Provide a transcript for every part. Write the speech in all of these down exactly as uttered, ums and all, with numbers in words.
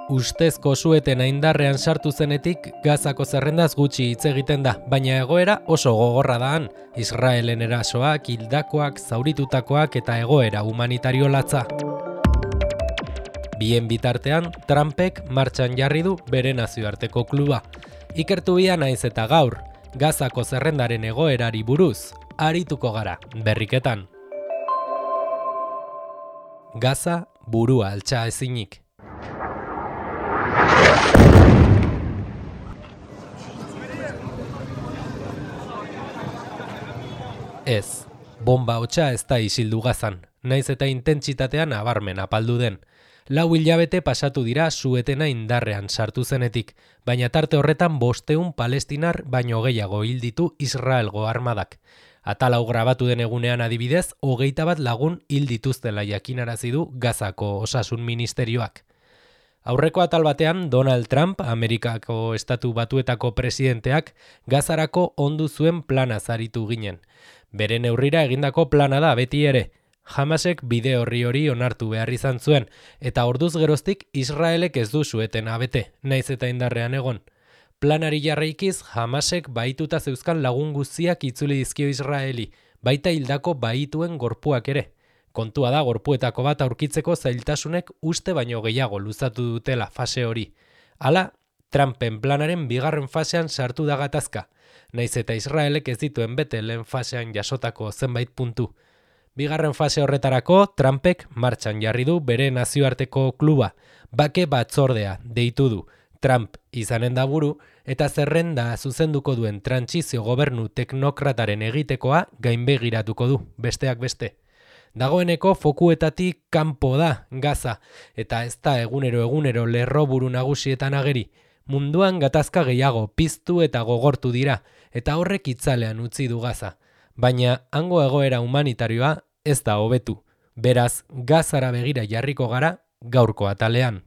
Ustezko suetena indarrean sartu zenetik Gazako zerrendaz gutxi hitz egiten da, baina egoera oso gogorra da han. Israelen erasoak, hildakoak, zauritutakoak eta egoera humanitario latza. Bien bitartean, Trumpek martxan jarri du bere nazioarteko kluba. Ikertu bia naiz eta gaur, Gazako zerrendaren egoerari buruz, arituko gara, berriketan. Gaza burua altxa ezinik. Ez, bomba hotsa ez da isildu Gazan, naiz eta intentsitatean nabarmen apaldu den. Lau hilabete pasatu dira suetena indarrean sartu zenetik, baina tarte horretan bosteun palestinar baino gehiago hil ditu Israelgo armadak. Atal hau grabatu den egunean adibidez, hogeita bat lagun hil dituztela jakinarazi du Gazako osasun ministerioak. Aurreko atal batean, Donald Trump, Amerikako Estatu Batuetako presidenteak, Gazarako ondu zuen plana zaritu ginen. Bere neurrira egindako plana da beti ere. Hamasek bide horri hori onartu behar izan zuen, eta orduz geroztik Israelek ez du suetena bete, naiz eta indarrean egon. Planari jarraikiz, Hamasek bahituta zeuzkan lagun guztiak itzuli dizkio Israeli, baita hildako bahituen gorpuak ere. Kontua da gorpuetako bat aurkitzeko zailtasunek uste baino gehiago luzatu dutela fase hori. Hala, Trumpen planaren bigarren fasean sartu da gatazka, naiz eta Israelek ez dituen bete lehen fasean jasotako zenbait puntu. Bigarren fase horretarako, Trumpek martxan jarri du bere nazioarteko kluba, bake batzordea deitu du. Trump izanen da buru, eta zerrenda zuzenduko duen trantsizio gobernu teknokrataren egitekoa gainbegiratuko du, besteak beste. Dagoeneko fokuetatik kanpo da Gaza, eta ez da egunero egunero lerroburu nagusietan ageri. Munduan gatazka gehiago piztu eta gogortu dira, eta horrek itzalean utzi du Gaza. Baina hango egoera humanitarioa ez da hobetu. Beraz, Gazara begira jarriko gara gaurko atalean.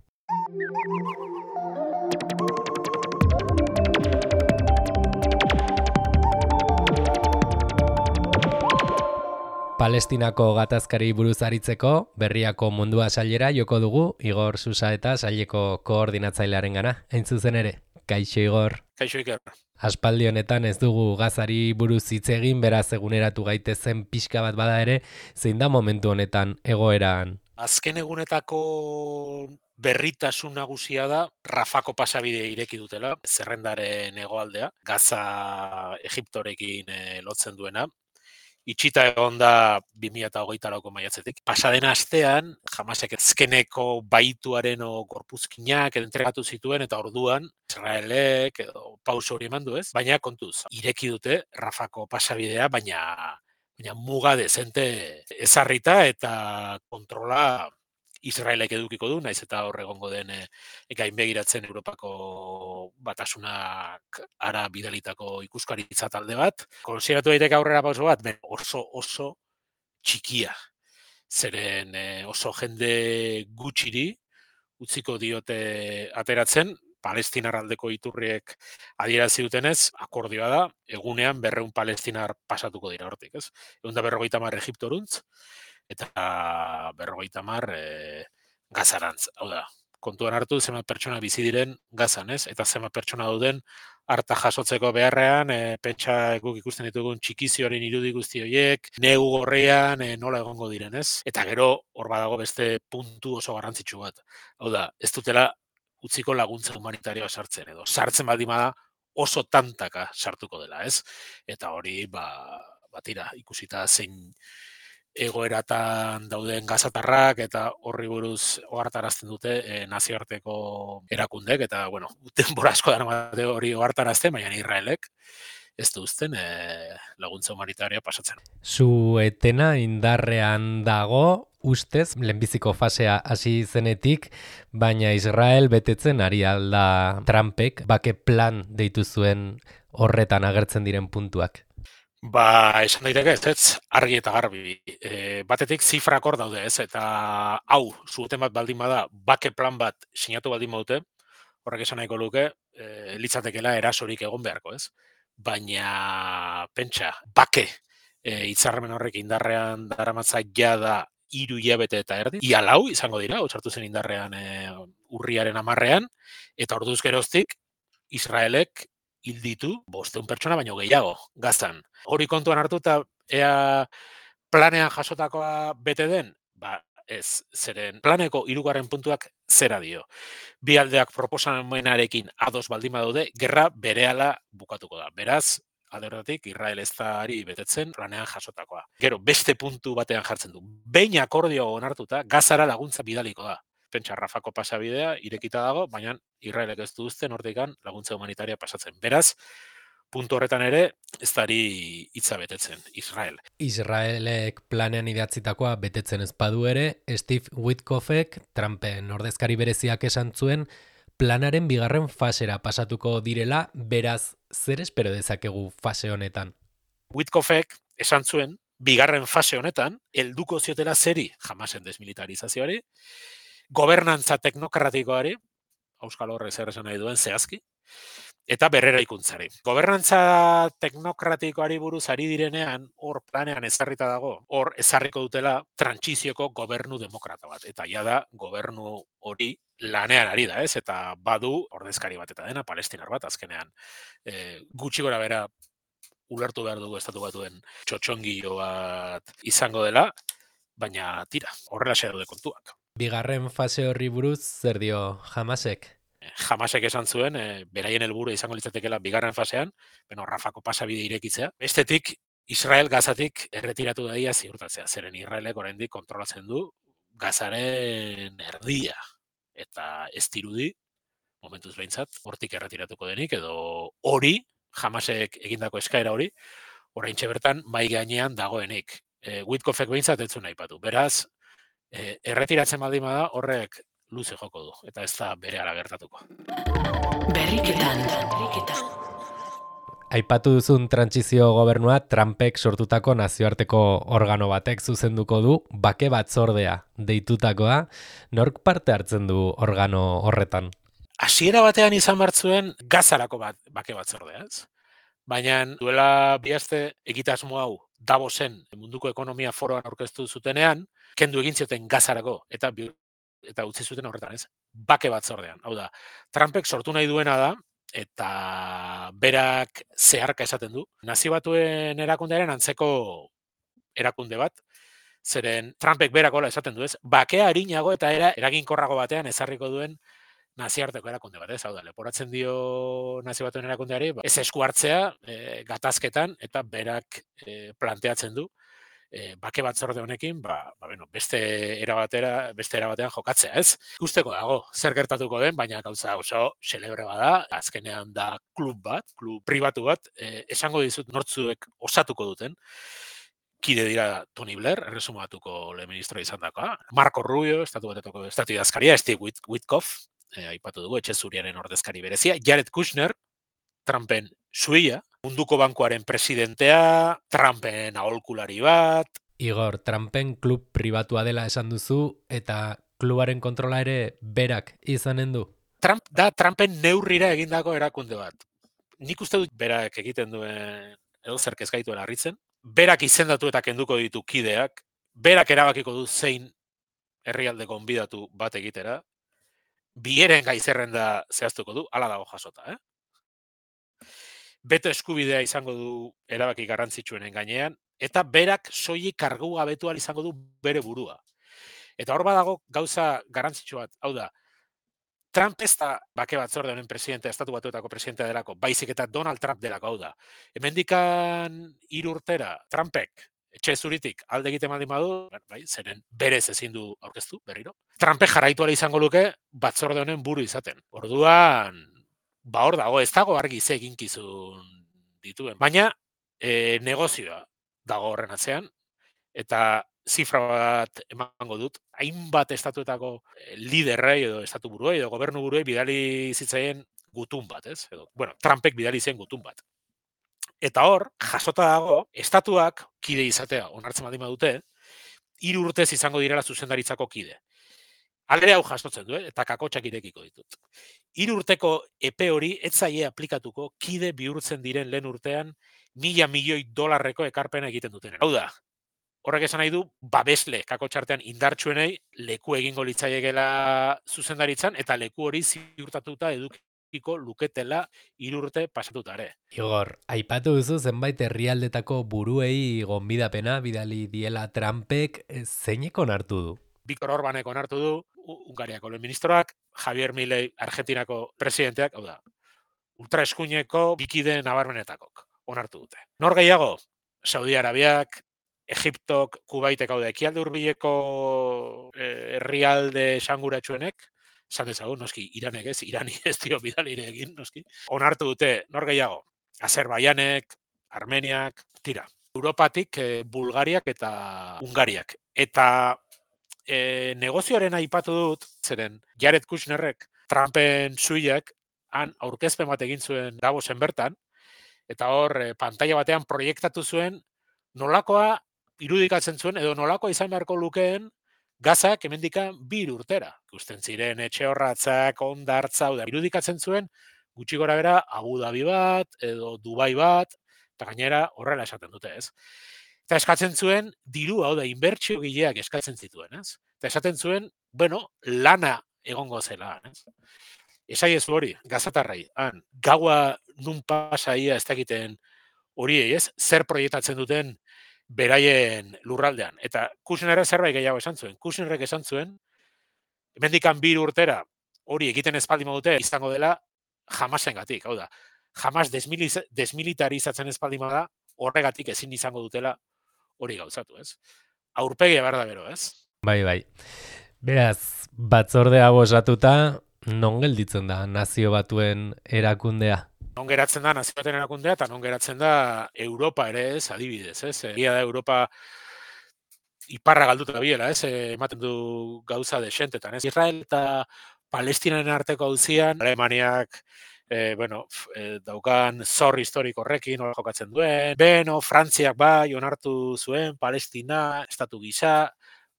Palestinako gatazkari buruz aritzeko, berriako mundua sailera joko dugu, Igor Susa eta saileko koordinatzailearen gana. Hain zuzen ere, kaixo Igor. Kaixo Iker. Aspaldi honetan ez dugu Gazari buruz hitz egin, beraz eguneratu gaitezen pixka bat bada ere, zein da momentu honetan egoeran? Azken egunetako berritasun nagusia da Rafako pasabide ireki dutela, zerrendaren hegoaldea, Gaza Egiptorekin e, lotzen duena. Itxita egon da bi mila hogeita lauko maiatzetik. Pasaden astean, Hamasek azkeneko baituaren o gorpuzkinak entregatu zituen, eta orduan Israelek edo pauso hori eman du ez, baina kontuz, ireki dute Rafako pasabidea, baina, baina muga dezente ezarrita eta kontrola Israelek edukiko du, naiz eta hor egongo den e, gainbegiratzen Europako batasunak ara bidalitako ikuskaritza talde bat. Konsideratu daiteke aurrera pauso bat, ben oso oso txikia. Zeren e, oso jende gutxiri utziko diote ateratzen, Palestinar aldeko iturriek adierazi dutenez, akordioa da, egunean berreun palestinar pasatuko dira hortik, ez? Egun da berrogeita hamar Egiptoruntz, eta berrogeita hamar e, Gazarantz. Hau da, kontuan hartu zenbat pertsona bizi diren Gazan, ez? Eta zenbat pertsona dauden harta jasotzeko beharrean, e, pentsa guk ikusten ditugun txikizioaren irudi guzti horiek, negu gorrian e, nola egongo diren, ez? Eta gero hor badago beste puntu oso garrantzitsu bat. Hau da, ez dutela utziko laguntza humanitarioa sartzen edo. Sartzen baldin bada oso tantaka sartuko dela, ez? Eta hori, ba, batira, ikusita zein egoeratan dauden gazatarrak eta horri buruz ohartarazten dute e, nazioarteko erakundek, eta, bueno, denbora asko daramate hori ohartarazten, baina Israelek ez du uzten e, laguntza humanitarioa pasatzen. Suetena indarrean dago, ustez, lehenbiziko fasea hasi zenetik, baina Israel betetzen ari alda Trumpek, bake plan deitu zuen horretan agertzen diren puntuak. Ba, esan daiteke ez, ez, argi eta garbi. E, batetik zifrak hor daude ez, eta hau, sueten bat baldin bada, bake plan bat sinatu baldin badute, horrek esan nahiko luke, e, litzatekela erasorik egon beharko ez. Baina, pentsa, bake, e, hitzarmen horrek indarrean daramatza jada hiru hilabete eta erdi, ia lau izango dira, sartu zen indarrean e, urriaren hamarrean, eta orduz geroztik Israelek hil ditu bostehun pertsona baino gehiago Gazan. Hori kontuan hartuta ea planean jasotakoa bete den, ba ez, zeren planeko hirugarren puntuak zera dio. Bi aldeak proposamenarekin ados baldin badaude, gerra berehala bukatuko da. Beraz, alde horretatik, Israel ez da ari betetzen planean jasotakoa. Gero, beste puntu batean jartzen du. Behin akordio onartuta, Gazara laguntza bidaliko da. Pentsa, Rafako pasabidea irekita dago, baina Israelek ez du uzten hortikan laguntza humanitaria pasatzen. Beraz, puntu horretan ere, ez dari hitza betetzen, Israel. Israelek planean idatzitakoa betetzen ez badu ere, Steve Witkoffek, Trumpen ordezkari bereziak esan zuen, planaren bigarren fasera pasatuko direla, beraz, zer espero dezakegu fase honetan? Witkoffek esan zuen, bigarren fase honetan, helduko ziotela zeri, Hamasen desmilitarizazioari, gobernantza teknokratikoari, Euskal Horrek zer esan nahi duen zehazki, eta berrera ikuntzari. Gobernantza teknokratikoari buruz ari direnean, hor planean ezarrita dago, hor ezarriko dutela trantsizioko gobernu demokrata bat. Eta ja da, gobernu hori lanean ari da, ez? Eta badu ordezkari bat eta dena, palestinar bat, azkenean. E, gutxi gora bera ulertu behar dugu estatu batuen txotxongio bat izango dela, baina tira, horrela xe daude kontuak. Bigarren fase horri buruz, zer dio Hamasek? Hamasek esan zuen, e, beraien helburu izango litzatekeela bigarren fasean, beno, Rafako pasabide irekitzea. Bestetik, Israel Gazatik erretiratu daia ziurtatzea, zeren Israelek oraindik kontrolatzen du Gazaren erdia. Eta ez dirudi, momentuz behintzat, hortik erretiratuko denik, edo hori, Hamasek egindako eskaera hori, oraintxe bertan mai gainean dagoenik. E, Witkoffek behintzat ez zuen aipatu. Beraz, e, erretiratzen baldin bada horrek luze joko du, eta ez da berehala gertatuko. Berriketan, berriketan. Aipatu duzun trantsizio gobernua Trumpek sortutako nazioarteko organo batek zuzenduko du, bake batzordea deitutakoa. Nork parte hartzen du organo horretan? Hasiera batean izan bartzuen Gazarako bat, bake batzordea, ez? Baina duela bi aste egitasmo hau Davosen munduko ekonomia foroan aurkeztu zutenean, kendu egin zioten Gazarako, eta eta utzi zuten horretan, ez? Bake batzordean. Hau da, Trumpek sortu nahi duena da, eta berak zeharka esaten du. Nazio Batuen erakundearen antzeko erakunde bat, zeren Trumpek berak hola esaten du, ez? Bakea arinago eta era eraginkorrago batean ezarriko duen nazioarteko erakunde bat, ez? Hau da, leporatzen dio Nazio Batuen erakundeari, ez esku hartzea, e, gatazketan, eta berak e, planteatzen du, E, bake batzorde honekin, ba, ba, bueno, beste erabatera, beste erabatean jokatzea, ez? Ikusteko dago, zer gertatuko den, baina gauza oso celebre bada, azkenean da klub bat, klub pribatu bat, e, esango dizut nortzuek osatuko duten, kide dira Tony Blair, erresumatuko lehen ministro izan dakoa, Marco Rubio, estatu batetoko estatu idazkaria, Steve Witkoff, e, aipatu dugu, etxe zuriaren ordezkari berezia, Jared Kushner, Trumpen suia, munduko bankuaren presidentea, Trumpen aholkulari bat. Igor, Trumpen klub pribatua dela esan duzu, eta klubaren kontrola ere berak izanen du? Trump da Trumpen neurrira egindako erakunde bat. Nik uste dut berak egiten duen, edo zerk ez gaituen harritzen, berak izendatu eta kenduko ditu kideak, berak erabakiko du zein herrialde gonbidatu bat egitera, bieren gaizerrenda zehaztuko du, hala dago jasota, eh? Beto eskubidea izango du erabaki garrantzitsuenen gainean, eta berak soilik kargu gabetu ahal izango du bere burua. Eta hor badago gauza garrantzitsu bat, hau da, Trump ez da bake batzorde honen presidente, estatu batuetako presidentea delako, baizik eta Donald Trump delako, hau da. Hemendikan hiru urtera, Trumpek, etxe zuritik, alde egiten baldin badu, bai, zeren berez ezin du aurkeztu, berriro. Trumpek jarraitu ahal izango luke batzorde honen buru izaten. Orduan, ba hor dago, ez dago argi ze eginkizun dituen. Baina, e, negozioa dago horren atzean, eta zifra bat emango dut, hainbat estatuetako liderrei edo estatu buruei edo gobernu buruei bidali zitzaien gutun bat, ez? Edo, bueno, Trumpek bidali zen gutun bat. Eta hor, jasota dago, estatuak kide izatea onartzen baldin badute, hiru urtez izango direla zuzendaritzako kide. Alde hau jasotzen du, eh? Eta kakotxak irekiko ditut. Hiru urteko epe hori ez zaie aplikatuko kide bihurtzen diren lehen urtean mila milioi dolarreko ekarpena egiten duten. Hau da, Horrek esan nahi du, babesle kakotxartean indartsuenei leku egingo litzaiekela zuzendaritzan, eta leku hori ziurtatuta edukiko luketela hiru urte pasatuta ere. Igor, aipatu duzu zenbait herrialdetako buruei gonbidapena bidali diela Trumpek, zeinek onartu du? Viktor Orbanek onartu du, Hungariako lehen ministroak, Javier Milei Argentinako presidenteak, hau da, ultraeskuineko bikide nabarmenetakok onartu dute. Nor gehiago? Saudi Arabiak, Egiptok, Kubaitek, hau da, ekialde hurbileko herrialde esanguratsuenek, esan dezagun, noski, Iranek ez, Irani ez dio bidalire egin, noski, onartu dute, nor gehiago? Azerbaianek, Armeniak, tira. Europatik, eh, Bulgariak eta Hungariak. Eta eh, negozioaren aipatu dut, zeren Jared Kushnerrek, Trumpen suiak, han aurkezpen bat egin zuen Davosen bertan, eta hor, eh, pantalla batean proiektatu zuen, nolakoa irudikatzen zuen, edo nolakoa izan beharko lukeen, Gazak hemendikan bi urtera. Ikusten ziren etxe horratzak, ondartza, da, irudikatzen zuen, gutxi gora bera, Abu Dhabi bat, edo Dubai bat, eta gainera horrela esaten dute, ez? Eta eskatzen zuen, diru, hau da, inbertsio gileak eskatzen zituen, ez? Eta esaten zuen, bueno, lana egongo zela, ez? Esai ez hori, gazatarrai, han, gaua nun pasaia ez dakiten horiei, ez? Zer proiektatzen duten beraien lurraldean. Eta Kushnerrek zerbait gehiago esan zuen. Kushnerrek esan zuen, hemendikan bi urtera hori egiten ez baldin badute izango dela Hamasengatik, hau da. Hamas desmilitarizatzen ez baldin bada, horregatik ezin izango dutela hori gauzatu, ez? Aurpegia behar da bero, ez? Bai, bai. Beraz, batzorde hau osatuta, non gelditzen da Nazio Batuen erakundea? Non geratzen da Nazio Batuen erakundea, eta non geratzen da Europa ere, ez, adibidez, ez? Egia da Europa iparra galduta biela, ez? Ematen du gauza desentetan, ez? Israel eta Palestinaren arteko auzian, Alemaniak, eh, bueno, eh, daukan zor historiko horrekin, nola jokatzen duen, beno, Frantziak bai, onartu zuen, Palestina, estatu gisa,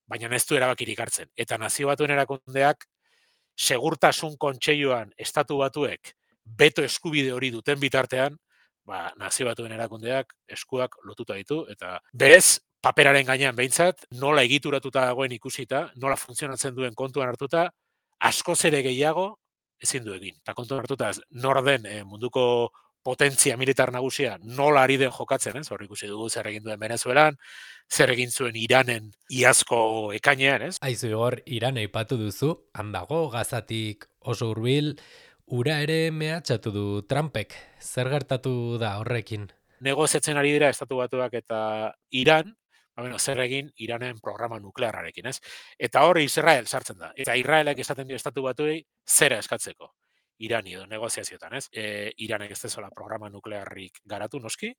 baina ez du erabakirik hartzen. Eta Nazio Batuen erakundeak, segurtasun kontseiluan estatu batuek beto eskubide hori duten bitartean, ba, Nazio Batuen erakundeak eskuak lotuta ditu, eta berez, paperaren gainean behintzat, nola egituratuta dagoen ikusita, nola funtzionatzen duen kontuan hartuta, askoz ere gehiago ezin du egin. Eta kontuan hartuta, nor den eh, munduko potentzia militar nagusia nola ari den jokatzen, ez? Hor ikusi dugu zer egin duen Venezuelan, zer egin zuen Iranen iazko ekainean, ez? Aizu Igor, Iran aipatu duzu, han dago, Gazatik oso hurbil, ura ere mehatxatu du Trumpek. Zer gertatu da horrekin? Negoziatzen ari dira Estatu Batuak eta Iran, ba, bueno, zer egin Iranen programa nuklearrarekin, ez? Eta hor Israel sartzen da. Eta Israelek esaten dio Estatu Batuei zera eskatzeko. Irani edo negoziazioetan, ez? E, Iranek ez dezala programa nuklearrik garatu noski,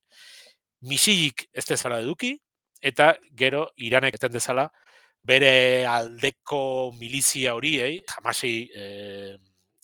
misilik ez dezala eduki, eta gero Iranek eten dezala bere aldeko milizia horiei, Hamasi, eh,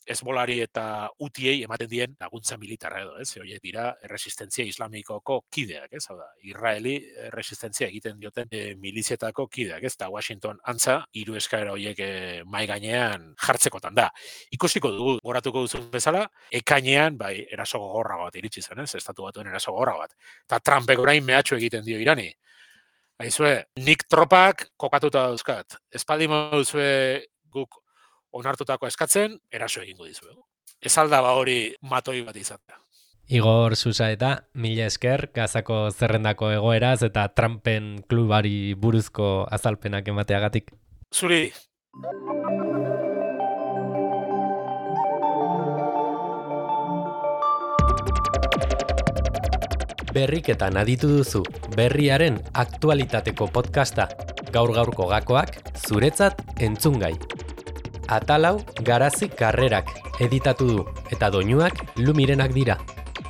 Hezbolari eta Hutiei ematen dien laguntza militarra edo, ez? Horiek dira erresistentzia islamikoko kideak, ez? Hau da, Israeli erresistentzia egiten dioten e, milizietako kideak, ez? Eta Washington antza hiru eskaera horiek e, mai gainean jartzekotan da. Ikusiko dugu, goratuko duzun bezala, ekainean bai eraso gogorra bat iritsi zen, ez? Estatu Batuen eraso gogorra bat. Eta Trumpek orain mehatxu egiten dio Irani. Aizue, nik tropak kokatuta dauzkat. Espaldi moduzue guk onartutako eskatzen, eraso egingo dizuegu. Ez alda ba hori matoi bat izatea. Igor Susaeta, mila esker, Gazako zerrendako egoeraz eta Trumpen klubari buruzko azalpenak emateagatik. Zuri. Berriketan aditu duzu, berriaren aktualitateko podcasta. Gaur-gaurko gakoak, zuretzat entzungai. Atalau Garazi Karrerak editatu du eta doinuak Lumirenak dira.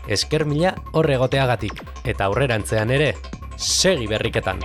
Esker mila hor egoteagatik eta aurrerantzean ere segi berriketan.